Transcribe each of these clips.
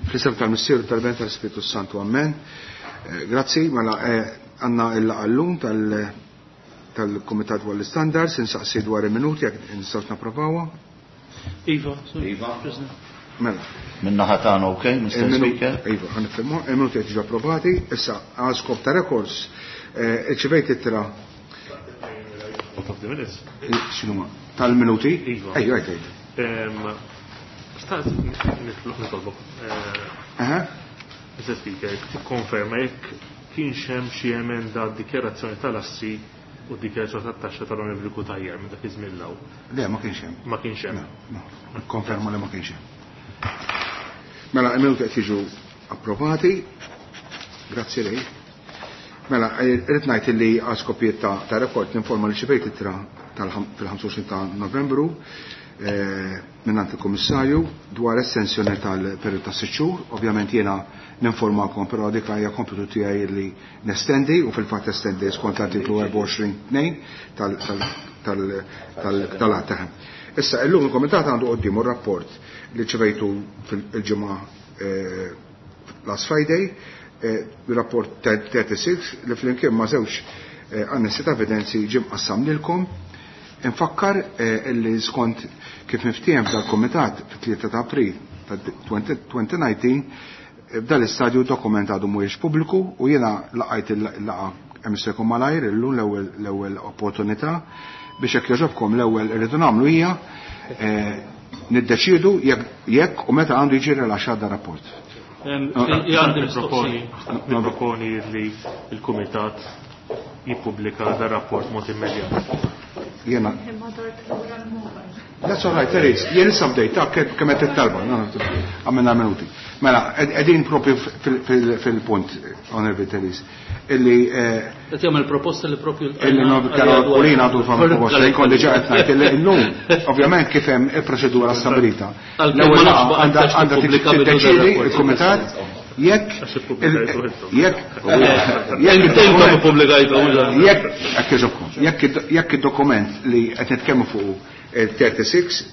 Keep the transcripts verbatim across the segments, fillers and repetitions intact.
Fl-isem tal-Missier tal-Ben tal-Spiritu Santu, Amen. Eh, grazzi, mela eh, għanna il-laqallum tal-Komitat dwar l-Standards, insaqsi dwar il-minuti, jekk nistgħu napprovawa. Iva, Iva. Mela. Minna ħatana, ok, Mister Speaker? Iva, ħanifirmu, il-minuti qed jiġu approvati, issa għal skop ta' records, eh, irċivejt ittra. Out of the minutes. X'inhuma? Tal-minuti? Iva. Ejju, għajt, għajt. Xtaqt nitolbok. Aha. Mister Speaker, tikkonferma jekk kienx hemm xi emenda d-dikjarazzjoni tal-assi u d-dikjarazzjoni tat-taxxa tal-Onorevoli Cutajar minn dak iż-żmien l-hawn. Le, ma kienx hemm. Ma kienx hemm. No, no, konferma li ma kienx hemm. Mela, il-minuti qed jiġu approvati. Grazzi lej. Mela, irrid ngħid li għal skopijiet ta', ta' rekord ninforma li xibejt ittra fil-ħamsa u għoxrin ta' Novembru, eh, minnant il-Kummissarju dwar estensjoni tal-periodu ta' sitt xhur. Ovvjament jiena ninformakom, però dik hija kompitu tiegħi li nestendi u fil-fatt estendi skont l-artiklu erbgħa u għoxrin tnejn tal-att. Issa illum il-Kumitat għandu quddiemu r-rapport li ċevejtu fil-ġimgħa, eh, last Friday, eh, rapport thirty-six li flimkien ma' żewġ, eh, annessi ta' evidenzi ġie mqassam lilkom. Infakkar, eh, li skont kif miftiehem f'dal-Kumitat fit-tlieta ta' April ta' twenty nineteen, eh, f'dal istadju dokument għadu mhuwiex pubbliku u jiena laqajt il-laqa kemm jista' jkun malajr illum l-ewwel, l-ewwel opportunità biex jekk jogħġobkom l-ewwel irridu nagħmlu hija, eh, niddeċiedu jekk, jekk u meta għandu jiġi rilaxxat dar rapport. Ehm, Ah, ah, Għandi ah, niproponi, ah, niproponi li l-Kumitat jippubblika dar rapport mod immedjat. Jena. That's all right, Therese. Jien issa bdejt, ta' kemm qed tittalba, no, no, għamilna minuti. Mela, ed-, qegħdin propju fil-, fil-, fil-punt, Honorable Therese, illi, eh, Qed jagħmel proposta li propju illi l-għajna no, għalija kellha dwar- u li għadu fama Għal- proposta, għal- jkun diġà qed ngħid illi llum, ovvjament kif hemm il-proċedura stabilita. Għal- L-ewwel ma nafx laqgħa baqa' għandha tax għandha tippubblika bidu tiddeċiedi dar-rapport. il-Kumitat jekk Għax ippubblikajtu il- intom. jekk Eh, jekk intom id-dokument ippubblikajtu, mhux aħna. jekk, hekk jogħġobkom, jekk id-, jekk id-dokument li qed nitkellmu fuq il-thirty-six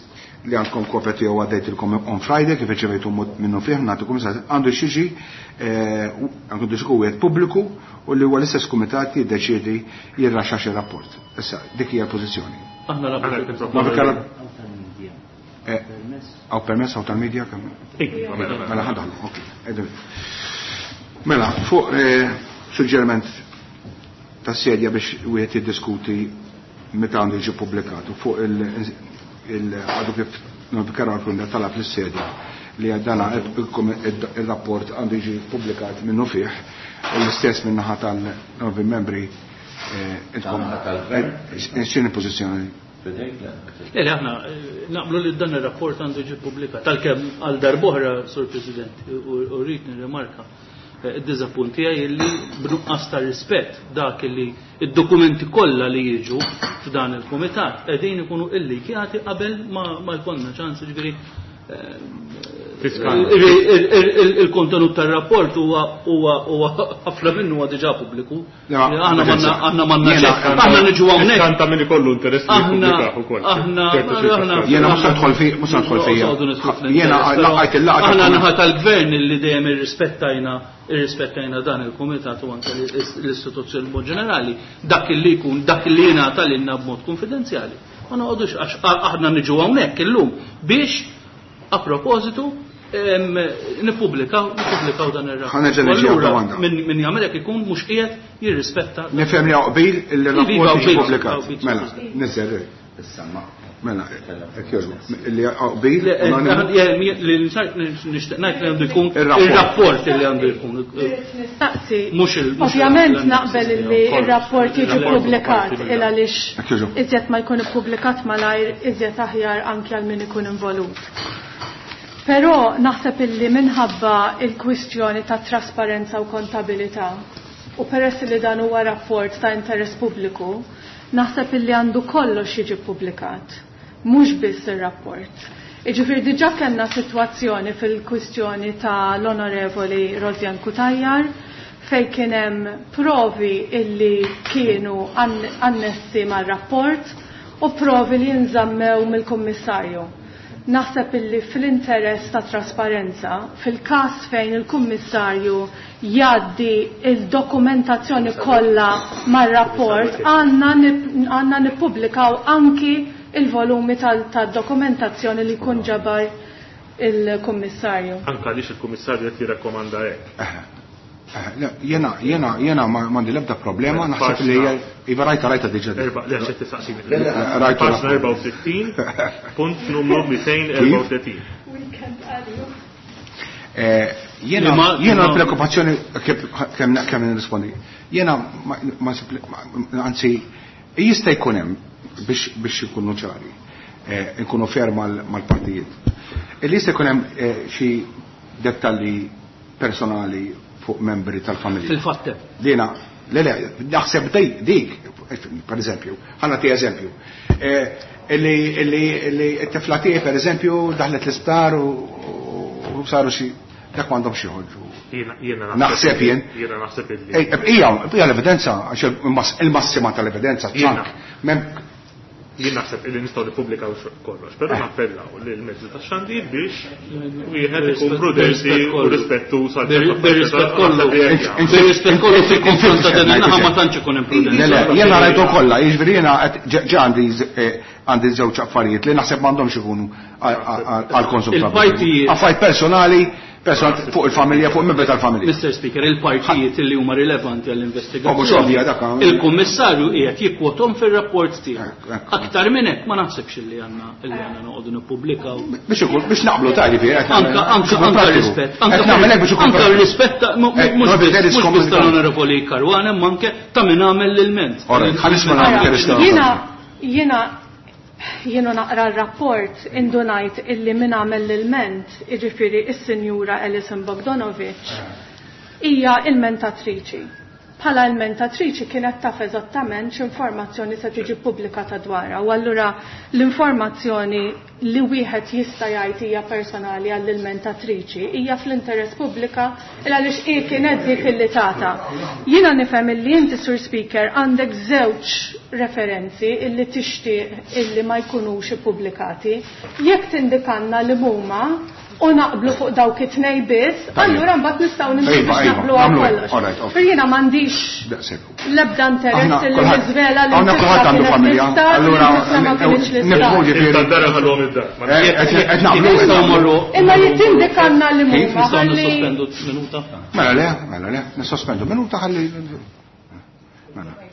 li għandkom kopja tiegħu għaddejtilkom on Friday kif irċevejtu minnu fih nagħtikom issa għandu xiġi, eh, għandu xiġi wieħed pubbliku u li huwa l-istess kumitat jiddeċiedi jirraxxa xi rapport. Issa dik hija l-pożizzjoni. Aħna Aħna naqblu. qed Ma niproponu. fikar- Eh, għaw permess għaw tal-medja kemm? Iva, mela, mela. Mela ħadħlu, ok. Ejdu. Mela, fuq, eh, suġġeriment ta' sedja biex wieħed jiddiskuti meta għandu jiġi pubblikat u fuq il-, il-, għadu kif notifikaw għal talab lis-sedja li għaddana il-rapport għandu jiġi pubblikat minnu fih u l-istess minnaħa tal-novi membri, eh, intkom, Naħa tal-gvern? eh, x'inhi pożizzjoni? Fidejk, le? Le, le, aħna, eh, naqblu li dan ir-rapport għandu jiġi pubblikat. Tal-kemm għal darb'oħra, Sur President, u, u rrid nirrimarka, eh, id-diżappunt tiegħi illi b'nuqqas ta' rispett dak illi id-dokumenti kollha li jiġu f'dan il-kumitat qegħdin ikunu illikjati qabel ma, ma jkollna ċans, jiġifieri, eh, Fiskali. il-, il-, il-, il-, il-kontenut tar-rapport huwa, huwa, huwa ħafna minnu huwa diġà pubbliku. Le, ma- Aħna manna, aħna manna Jiena- ċekk. Aħna niġu hawnhekk. Fiskanta min ikollu interess li Aħna- jippubblikah ukoll. aħna- Ċertu aħna- ċirkostanzi. Jiena mhux se nidħol fi-, mhux se nidħol fija. Noqogħdu nidħlu fl-interess, Jiena però laqajt il-laqgħa Aħna tal-kumitat. naħa tal-gvern li dejjem irrispettajna, irrispettajna dan il-kumitat u anke l-istituzzjoni b'mod ġenerali, dak li jkun, dak li jingħata lilna b'mod konfidenzjali. Ma noqogħdux għax aħna niġu hawnhekk illum biex a propositu, em, nippubblikaw, nippubblikaw dan ir-rapport. Ħa nerġa' niġi Allura, għad-domanda. min, min jagħmel hekk ikun mhux qiegħed jirrispetta. Nifhem li hawn qbil li Iva, r-rapport jiġi qbil, pubblikat. qbil, Mela, qbil. niżel. Issa ma. Mela, hekk jogħġbu. Li hawn qbil, Le, eh, unanimu. eh, mi-, li nsar-, nixtieq ngħid li għandu jkun Ir-rapport. ir-rapport li għandu jkun. Nistaqsi. Mhux il-, mhux Ovvjament il- naqbel li Kollox. ir-rapport jiġi Il-rapport ppubblikat parti il mill-dan. għaliex Hekk jogħġbu. iżjed ma jkun ippubblikat malajr iżjed aħjar anke għal min ikun involut. Però naħseb illi minħabba il-kwistjoni ta' trasparenza u kontabilità u peress li dan huwa rapport ta' interess pubbliku, naħseb illi għandu kollox jiġi ppubblikat, mhux biss ir-rapport. Jiġifieri diġà kellna sitwazzjoni fil-kwistjoni ta' l-Onorevoli Rosianne Cutajar fejn kien hemm provi illi kienu ann-, annessi mar-rapport u provi li jinżammew mill-Kummissarju. Naħseb illi fl-interess ta' trasparenza, fil-każ fejn il-Kummissarju jgħaddi il-dokumentazzjoni kollha mar-rapport, għandna nippubblikaw anki il-volumi tad-dokumentazzjoni li jkun ġabar il-Kummissarju. Anka għaliex il-Kummissarju qed jirrakkomanda hekk. Jena, jena, jena m'għandi l-ebda problema, naħseb li hija iva rajta rajta diġà. Erba' le xed tistaqsini. Paġna erbgħa u sittin, punt numru mitejn erbgħa u tletin. Jena jena l-preokkupazzjoni kemm kemm nirrispondi. Jena ma anzi jista' jkun hemm biex biex ikunu ċari, nkunu fair mal-partijiet. Illi jista' jkun hemm xi dettalji personali fuq membri tal-familja. Fil-fatt. Dina, le le, naħseb dik, per eżempju, ħa nagħti eżempju. Illi illi illi t-tifla tiegħi per eżempju daħlet l-isptar u saru xi dak m'għandhomx joħorġu. Naħseb jien. Jiena naħseb illi. Hija hija l-evidenza, għax il-massima tal-evidenza ċank. Jien naħseb illi nistgħu nippubblikaw kollox, però nappellaw lil mezzi tax-xandir biex wieħed ikun prudenti u rispettuż għal Bir-rispett kollu. Bir-rispett kollu fil-konfront ta' din in-naħa ma tantx ikun hemm prudenza. Le, le, jiena rajtu kollha, jiġifieri jiena ġa għandi għandi żewġ affarijiet li naħseb m'għandhomx ikunu għall-konsum tal-. Affarijiet personali, personali fuq il-familja, fuq il-membri tal-familja. Mister Speaker, il-partijiet li huma rilevanti għall-investigazzjoni. Il-Kummissarju qiegħed jikkwothom fir-rapport tiegħu. Aktar minn hekk ma naħsibx illi għandna illi għandna noqogħdu nippubblikaw. Biex ikun biex naqblu ta' ġifieri. Anka anka anka rispett. Anka rispett mhux biss tal-Onorevoli Caruana, imma anke ta' min għamel l-ilment. Jiena jiena jiena naqra r-rapport indunajt illi min għamel l-ilment, jiġifieri is-Sinjura Alison Bogdanovic, hija ilmentatriċi. Bħala ilmentatriċi kienet taf eżattament x'informazzjoni se tiġi ppubblikata dwarha, u allura l-informazzjoni li wieħed jista' jgħid hija personali għall-ilmentatriċi hija fl-interess pubblika għaliex hi kienet dik illi tata. Jiena nifhem illi inti, Sur Speaker, għandek żewġ referenzi illi tixtieq illi ma jkunux ippubblikati. Jekk tindikanna li huma u naqblu fuq dawk it-tnej biss, allura mbagħad nistgħu nimxu biex naqblu għal kollox. Per jiena m'għandix l-ebda interess li niżvela li Aħna kulħadd għandu familja, allura nifhmu ġifieri. Qed naqblu. Imma li tindikanna li huma. Nistgħu nissospendu minuta. Mela le, mela le, nissospendu minuta ħalli. Mela.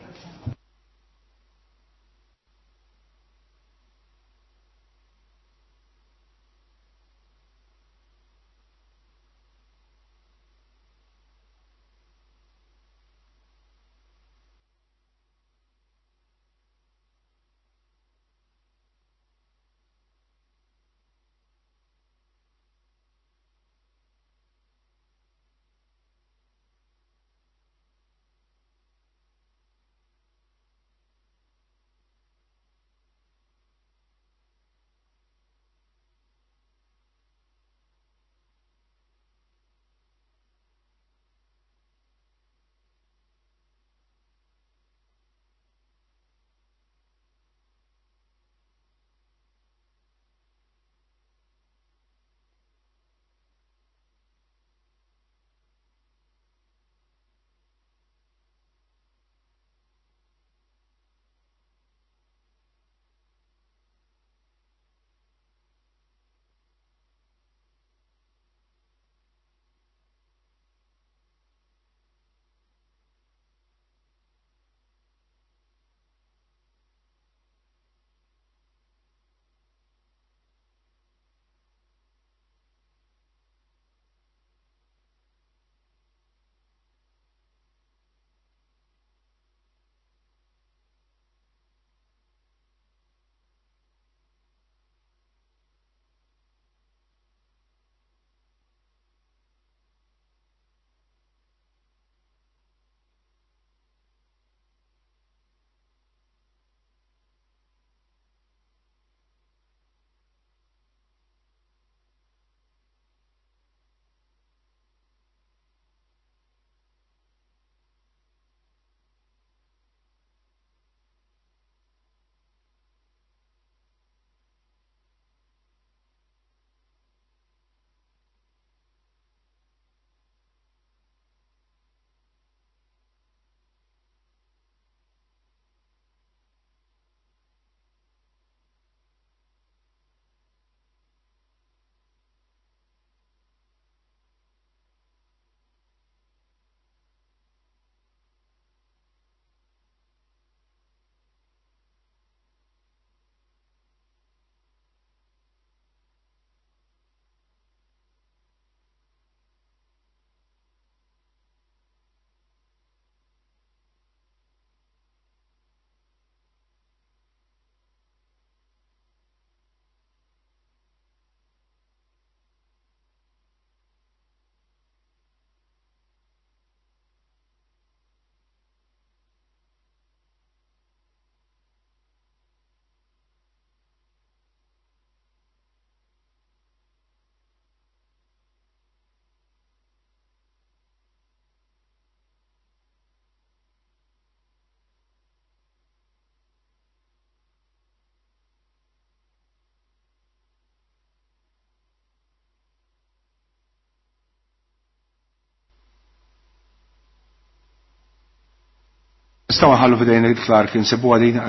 Nistgħu nħallu f'idejn il-Clark insibuha din.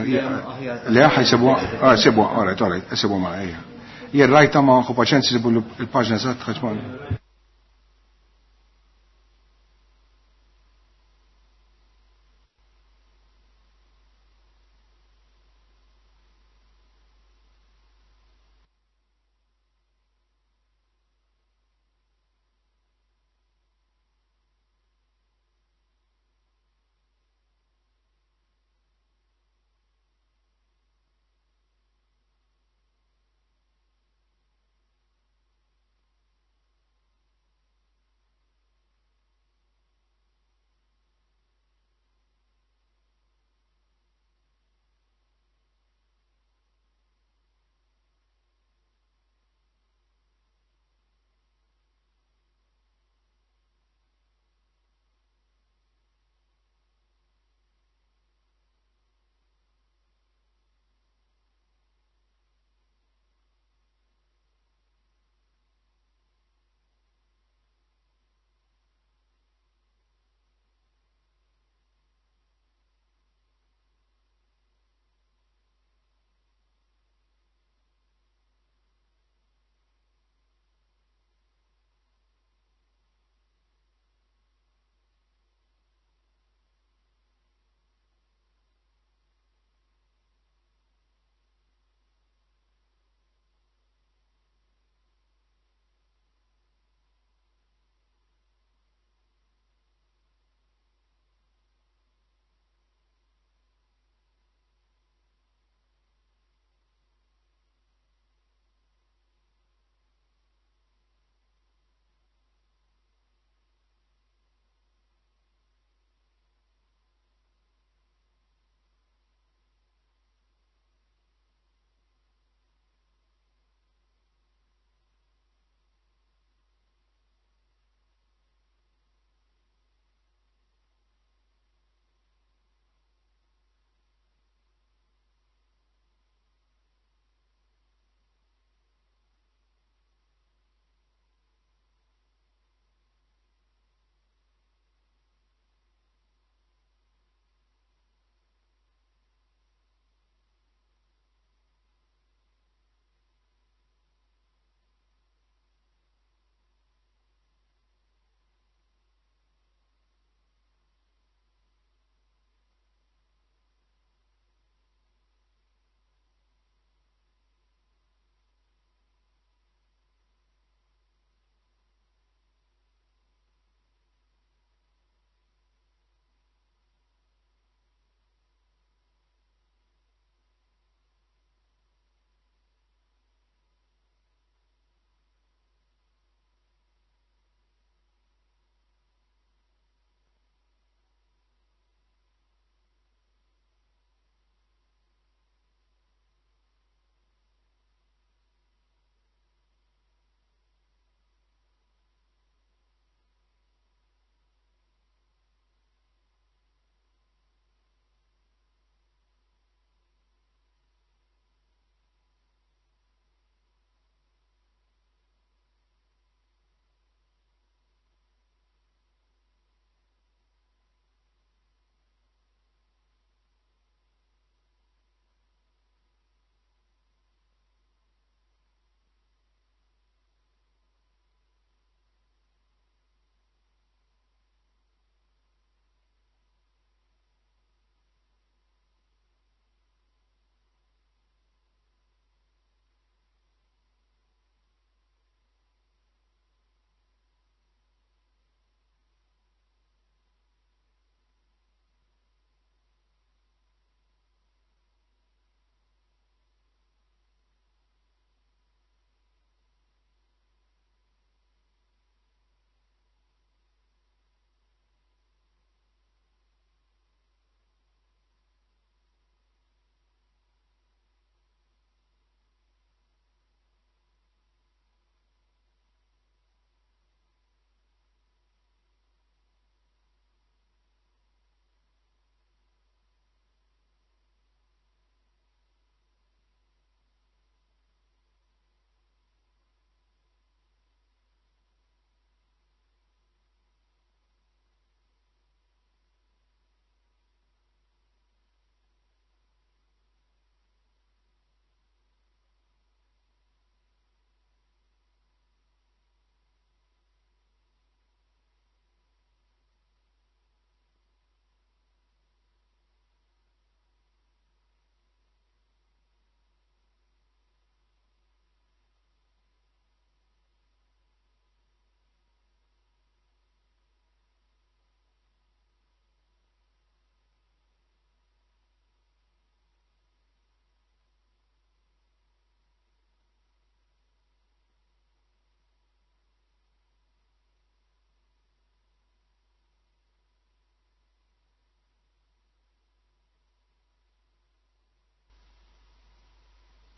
Le ħajsibuha, ah sibuha, all right, all right, sibuha ma ejja. Jien rajta ma ħu paċenza sibu l-paġna eżatt ħaġ ma.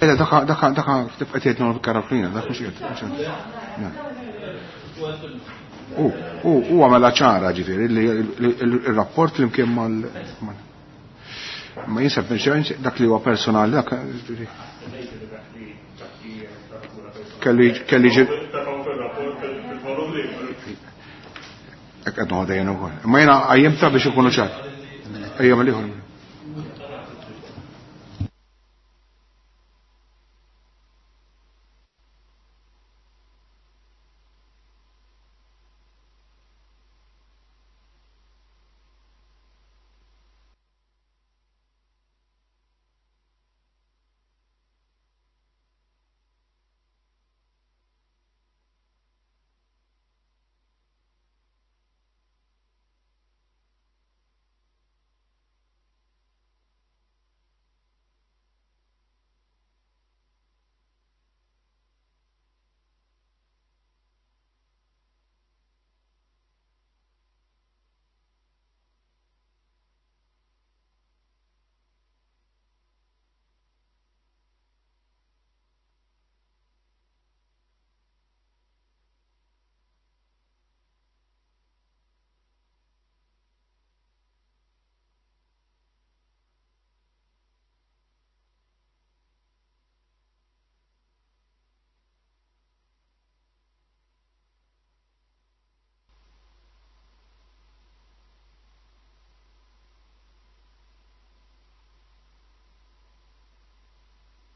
Le, daka daka daka tibqa' tgħid Karolina, dak mhux qiegħed. U u u għamela ċara ġifieri li il-rapport flimkien mal ma jinsab dak li huwa personali dak kelli kelli ġi Hekk qed noħodha jien ukoll. Imma jiena qajjimtha biex ikunu ċar. Ejja mill-ieħor.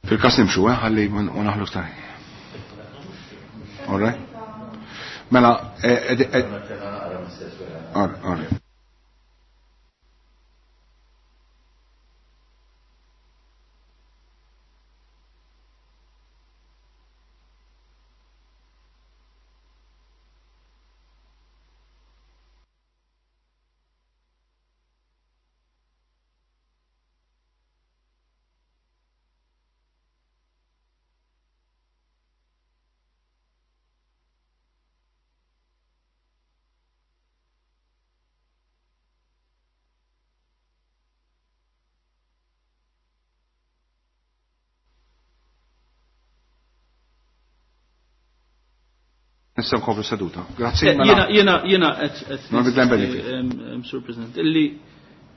Fil-kas nimxu, eh, ħalli ma naħlu iktar. All right? Mela, all right. Nistgħu nkomplu seduta. Grazzi. Jiena jiena jiena qed Sur President, illi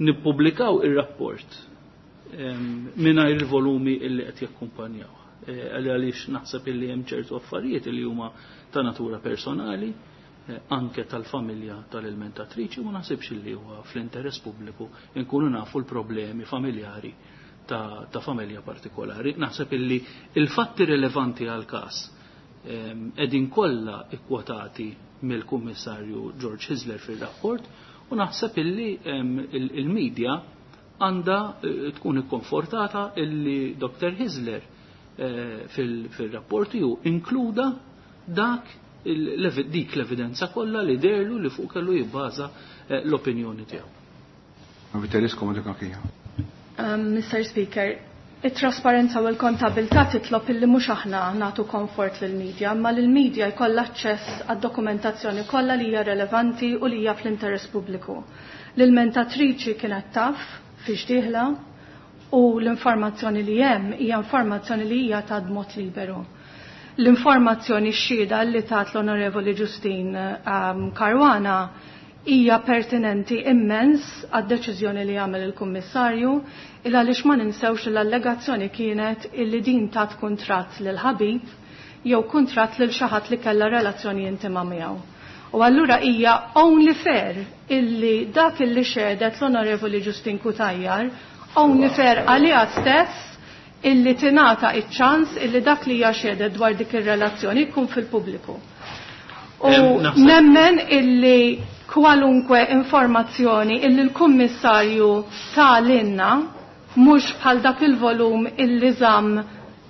nippubblikaw ir-rapport mingħajr il-volumi illi qed jakkumpanjaw. Għaliex naħseb illi hemm ċertu affarijiet illi huma ta' natura personali, anke tal-familja tal-ilmentatriċi, ma naħsibx illi huwa fl-interess pubbliku nkunu nafu l-problemi familjari ta', ta familja partikolari. Naħseb illi il-fatti rilevanti għal-każ edin kollha ikkwotati mill-Kummissarju George Hyzler fir-rapport u naħseb illi il-medja għandha tkun ikkonfortata illi Doktor Hyzler fil-rapport ju inkluda dak dik l-evidenza kollha li derlu li fuq kellu jibbaża l-opinjoni tiegħu. Mister Speaker, it-trasparenza u l-kontabilità titlob illi mhux aħna nagħtu komfort lill-medja, imma lill-medja jkollha aċċess għad-dokumentazzjoni kollha li hija relevanti u li hija fl-interess pubbliku. L-ilmentatriċi kienet taf fiex dieħla u l-informazzjoni li hemm hija informazzjoni li hija ta' mod liberu. L-informazzjoni xhieda li tat l-Onorevoli Justyne um, Caruana hija pertinenti immens għad-deċiżjoni li għamel il-Kummissarju, il għaliex ma ninsewx l-allegazzjoni kienet illi din tat kuntratt lil ħabib jew kuntratt lil xi ħadd li kellha relazzjoni intima miegħu. U allura hija only fair illi dak illi xedet l-Onorevoli Justyne Cutajar, only fair għaliha stess illi tingħata iċ-ċans illi dak li hija xedet dwar dik ir-relazzjoni jkun fil-pubbliku. U nemmen illi kwalunkwe informazzjoni illi l-Kummissarju tal-inna mhux bħal dak il-volum illi żamm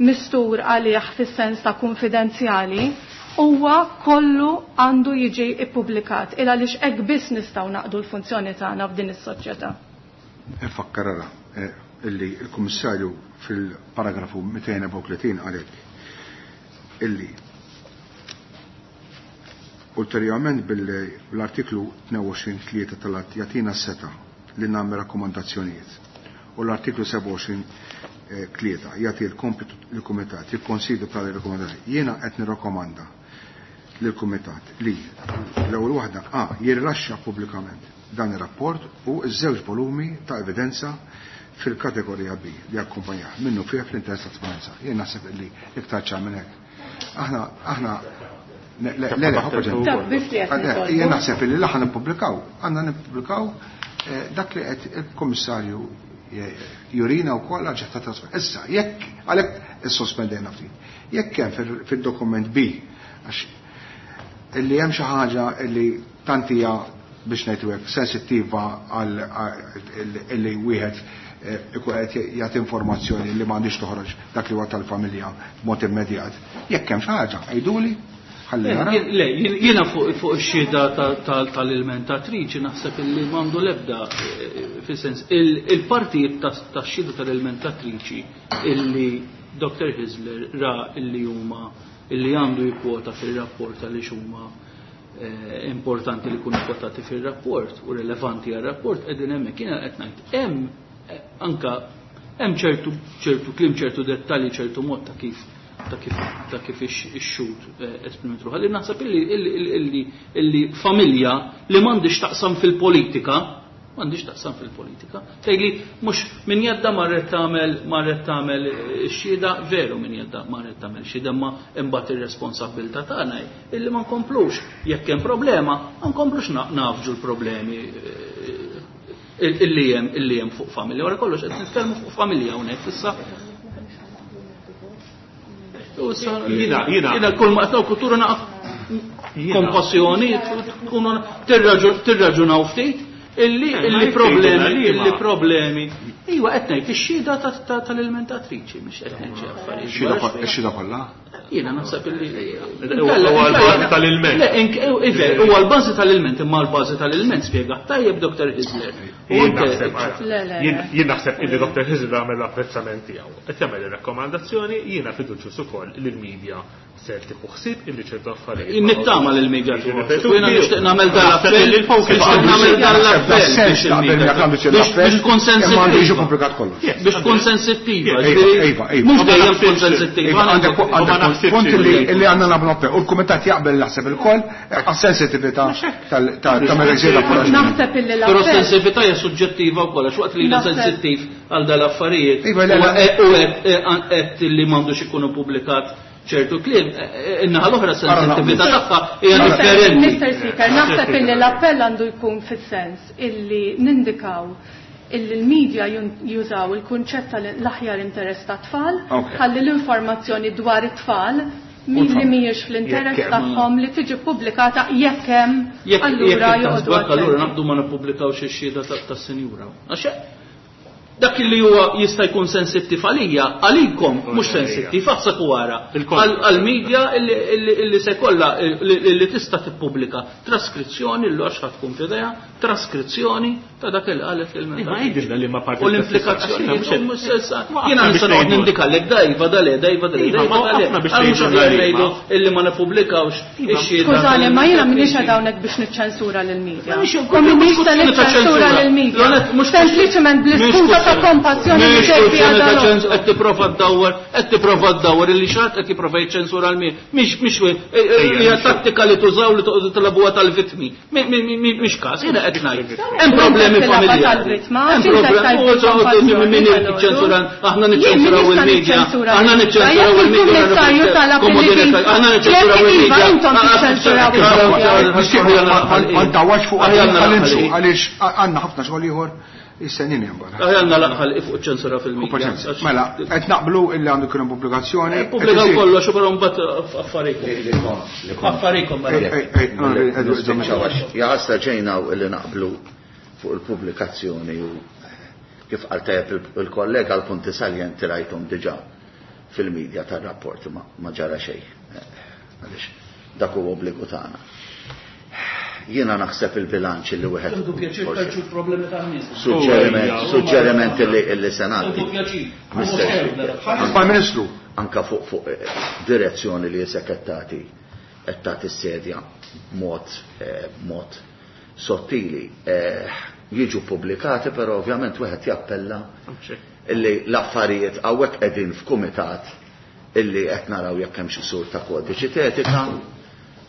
mistur għalih fis-sens ta' konfidenzjali, huwa kollu għandu jiġi ippubblikat il għaliex hekk biss nistgħu naqdu l-funzjoni tagħna f'din is-soċjetà. Infakkar ara illi l-Kummissarju fil-paragrafu mitejn u tletin qalet illi ulterjorment bil-artiklu tnejn u għoxrin tlieta tal-att jagħtina s-seta li nagħmel rakkomandazzjonijiet u l-artiklu sebgħa u għoxrin tlieta jagħti l-kompitu lill-kumitat jikkonsidra tali rakkomandazzjoni. Jiena qed nirrakkomanda lill-kumitat li l-ewwel waħda A jirrilaxxa pubblikament dan ir-rapport u ż-żewġ volumi ta' evidenza fil-kategorija B li akkumpanjah minnu fih fl-interess ta' trasparenza. Jien naħseb li iktar ċar minn hekk. Aħna aħna le le le jien naħseb li l-aħna nippubblikaw, għandna nippubblikaw dak li qed il-Kummissarju jurina wkoll għal ġeħta trasparenza. Issa, jekk għalhekk issospendejna ftit. Jekk hemm fid-dokument B għax illi hemm xi ħaġa li tant hija biex ngħidu hekk sensittiva għal illi wieħed ikun qed jagħti informazzjoni li m'għandix toħroġ dak li huwa tal-familja b'mod immedjat. Jekk hemm xi ħaġa, għiduli ħalli nara. Le, jiena fuq ix-xhieda tal-ilmentatriċi naħseb illi m'għandu l-ebda fis-sens il-partijiet tax-xhieda tal-ilmentatriċi illi Doctor Hyzler ra illi huma illi għandu jikkwota fil-rapport għaliex huma importanti li jkunu kwotati fil-rapport u rilevanti għal-rapport qegħdin hemmhekk. Jiena qed ngħid hemm anka hemm ċertu ċertu kliem, ċertu dettalji, ċertu mod ta' kif ta' kif ta' kif ix-xhud esprimet ruħha. Li naħseb illi illi illi familja li m'għandix taqsam fil-politika, m'għandix taqsam fil-politika. Tgħidli mhux min jadda marret tagħmel marret tagħmel x-xhieda, veru min jadda marret tagħmel xhieda, ma imbagħad ir-responsabbiltà tagħna illi ma nkomplux jekk hemm problema, ma nkomplux nafġu l-problemi illi hemm illi hemm fuq familja. Wara kollox qed nitkellmu fuq familja hawnhekk issa. Jiena jiena jiena kull ma qed kultura naqaf kompassjoni tkunu tirraġunaw ftit illi illi problemi illi problemi. Iwa qed ngħid ix-xhieda tal-ilmentatriċi mhux qed ngħid xi affarijiet. Ix-xhieda kollha? Jiena naħseb illi huwa l-bażi tal-ilment. Le, huwa l-bażi tal-ilment, imma l-bażi tal-ilment spjega tajjeb Doctor Hyzler. Jien naħseb illi Doctor Hyzler għamel l-apprezzament tiegħu. Qed jagħmel ir-rakkomandazzjoni, jiena fiduċjuż ukoll li l-medja ser tieħu ħsieb illi ċertu affarijiet. Nittama lil media tieħu ħsieb. Jiena nixtieq nagħmel dan l-appell, nixtieq nagħmel dan l-appell biex tkun sensittiva. Biex tkun sensittiva. Mhux dejjem tkun sensittiva. Għandek punt li għandna nagħmlu appell. U l-kumitat jaqbel naħseb ilkoll għas-sensitività ta' mela Naħseb illi l-appell. Però s-sensitività hija suġġettiva wkoll għax waqt li jiena sensittiv għal dal-affarijiet u qed li m'għandux ikunu pubblikat ċertu kliem, in-naħa l-oħra sensitività tagħha hija differenti. Mister Speaker, naħseb illi l-appell għandu jkun fis-sens illi nindikaw illi l-medja jużaw il-kunċett tal-aħjar interess tat-tfal, ħalli l-informazzjoni dwar it-tfal min li mhijiex fl-interess tagħhom li tiġi pubblikata jekk hemm allura joqogħdu. Allura naqdu ma nippubblikawx ix-xhieda tas-sinjura. Dak li huwa jista' jkun sensittiv għalija, għalikom mhux sensittiv, aħseb u wara. Għall-medja illi se kollha illi tista' tippubblika traskrizzjoni l għax ħadd tkun f'idejha, traskrizzjoni ta' dak li qalet il-menta. U l-implikazzjoni mhux sessa. Jiena nista' noqgħod nindikalek dajva dale, dajva dale, dajva dale. Mhux aħjar ngħidu illi ma nippubblikawx ix-xhieda. Skużani, ma jiena m'iniex hawnhekk biex niċċensura lill-medja. U m'iniex se niċċensura lill-medja. Sempliċement bl-iskuża ta' kompassjoni li ġej fiha dan. Qed tipprova ddawwar, qed tipprova ddawwar illi xi ħadd qed jipprova jiċċensura l-medja. Mhix mhix hija tattika li tużaw li toqgħodu tilagħbuha tal-vittmi. Mhix każ, jiena qed ngħid. Hemm problemi familjari. Hemm problemi min jiċċensura, aħna niċċensuraw il-medja, aħna niċċensuraw il-medja. Aħna niċċensuraw il-medja. Ma ndawwarx fuq għaliex għandna ħafna xogħol ieħor. Is-senin hemm barra. Għandna laqħal fuq ċensura fil-medja. Mela, qed naqblu illi għandu jkun hemm pubblikazzjoni. Pubblikaw kollox u però mbagħad affarikom. Affarikom. Jaħasra ġejna illi naqblu fuq il-pubblikazzjoni u kif qal tajjeb il-kollega l-punti saljenti rajthom diġà fil-medja tar-rapport ma ġara xejn. Għaliex dak huwa obbligu tagħna. Jiena naħseb il-bilanċ li wieħed. Għandu pjaċir tarġu problemi tan-nies. Suġġeriment, suġġeriment li li se ngħaddi. Prime Ministru. Anka fuq fuq direzzjoni li qed tagħti qed tagħti s-sedja b'mod b'mod sottili jiġu pubblikati, però ovvjament wieħed jappella illi l-affarijiet hawnhekk qegħdin f'kumitat illi qed naraw jekk hemm xi ksur ta' kodiċi etika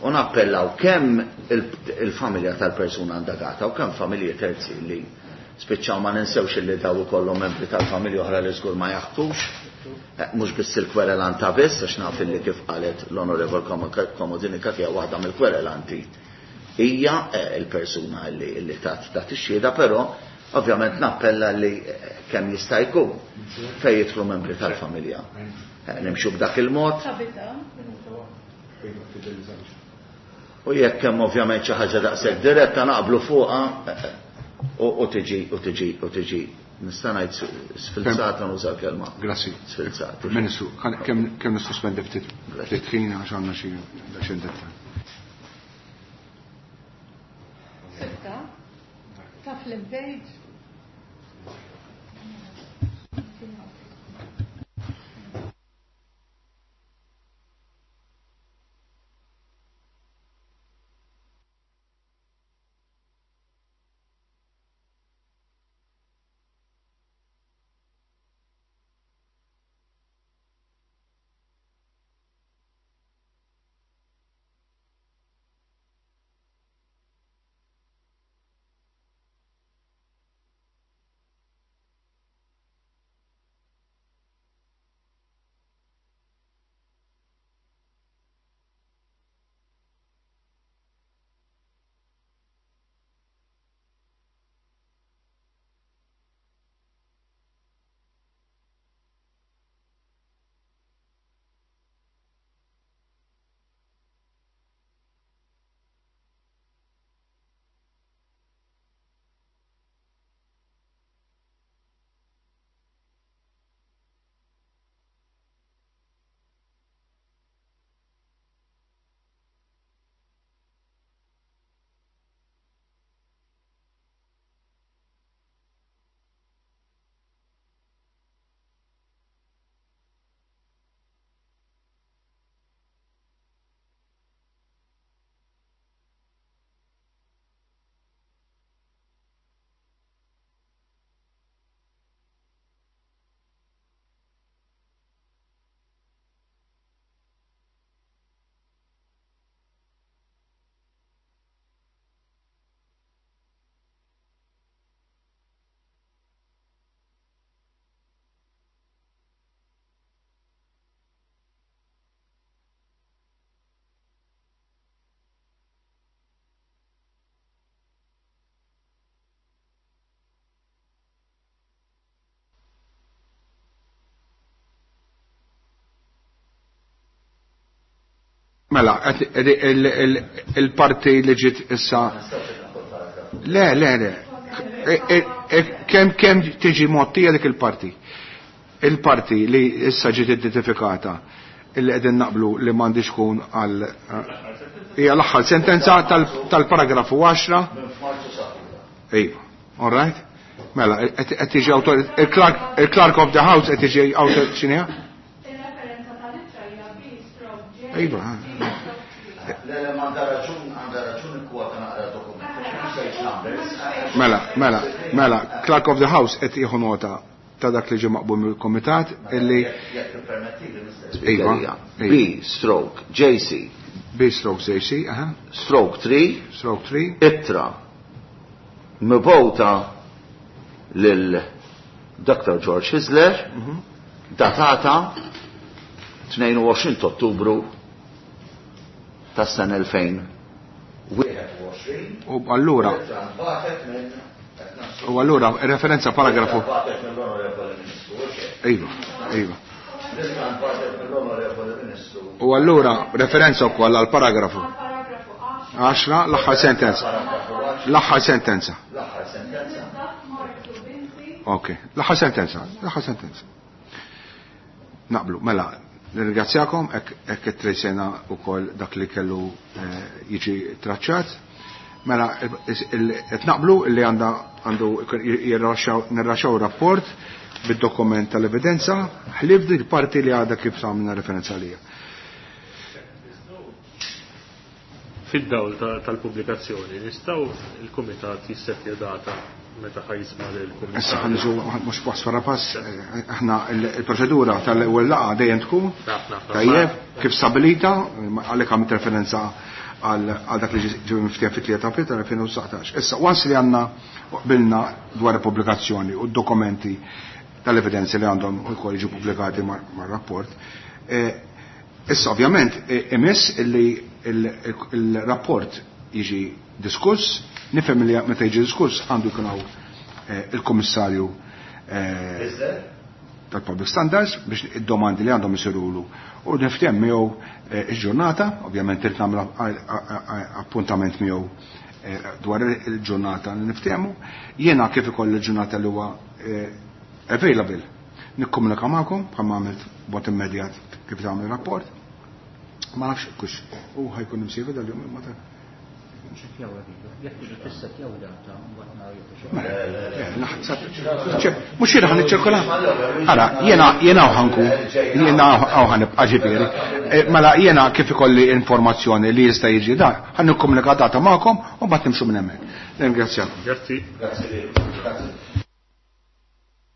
u nappellaw kemm il-familja tal-persuna indagata u kemm familji terzi li spiċċaw ma ninsewx illi daw ikollhom membri tal-familja oħra li żgur ma jaħtux, mhux biss il-kwerelanta biss, għax naf illi kif qalet l-Onorevol Comodini Cachia waħda mill-kwerelanti hija il-persuna li tat tat ix-xhieda, però ovvjament nappella li kemm jista' jkun fejn jidħlu membri tal-familja. Nimxu b'dak il-mod. U jekk hemm ovvjament xi ħaġa daqshekk diretta naqblu fuqha u tiġi u tiġi u tiġi nista' ngħid sfilzata nuża l-kelma. Grazzi. Sfilzata. Ministru, kemm kemm nissospendi ftit ftit ħin għax għandna xi xi dettal. Sitta? Ta' fl-page. Mela, il-parti li ġiet issa. Le, le, le. Kemm kemm tiġi mottija dik il-parti? Il-parti li issa ġiet identifikata illi qegħdin naqblu li m'għandix tkun għal hija l-aħħar sentenza tal-paragrafu għaxra. Iva, all right? Mela, qed tiġi il-Clerk of the House qed tiġi autor x'inhi? Iva. Le, le, ma għandha raġun, għandha raġun ikkwota naqra dokument. Mela, mela, mela, Clerk of the House qed jieħu nota ta' dak li ġie maqbul mill-Komitat illi Jekk tippermettili, Mister Iva, Speaker. iva. B stroke J C. B stroke J C, aha. Stroke three. Stroke three. Ittra mibgħuta lil Doctor George Hyzler, Mhm. datata tnejn u għoxrin ta' Ottubru tas-sena elfejn wieħed u għoxrin. U allura u allura referenza paragrafu. Iva, iva. U allura referenza wkoll għal paragrafu għaxra l-aħħar sentenza. L-aħħar sentenza. Ok, l-aħħar sentenza, l-aħħar sentenza. Naqblu, mela, nirringrazzjakom hekk it-trejsena wkoll dak li kellu jiġi traċċat. Mela, qed naqblu li għandha għandu nirraxxaw rapport bid-dokument tal-evidenza, ħlief dik parti li għadha kif għamilna referenza għalija. Fid-dawl tal-pubblikazzjoni, nistgħu il-kumitat jissettja data meta ħa jisma' lill-Kummissarju. Issa ħa niġu mhux pass wara pass, aħna il-proċedura tal-ewwel laqgħa dejjem tkun tajjeb kif stabilita, għalhekk għamilt referenza għal dak li ġie miftiehem fit-tlieta April tal-elfejn u dsatax. Issa once li għandna qbilna dwar il-pubblikazzjoni u d-dokumenti tal-evidenzi li għandhom ukoll jiġu pubblikati mar-rapport, issa ovvjament imiss illi il-rapport jiġi diskuss, nifhem li meta jiġi diskuss għandu jkun hawn il-Kummissarju tal-Public Standards biex id-domandi li għandhom isirulu u nifthem miegħu il-ġurnata, ovvjament irid nagħmel appuntament miegħu dwar il-ġurnata li niftehmu. Jiena kif ikoll il-ġurnata li huwa available nikkomunika magħkom bħalma għamilt b'mod immedjat kif tagħmel rapport. Ma nafx kux u ħajkun imsiefer dal-jum imma ta' Mux jiena ħan iċċirkola. Ara, jiena jiena ħanku, jiena hawn ħanibqa' ġifieri. Mela jiena kif ikolli informazzjoni li jista' jiġi da, ħan nikkomunika data magħkom u mbagħad nimxu minn hemmhekk. Ringrazzjakom. Grazzi. Grazzi. Grazzi.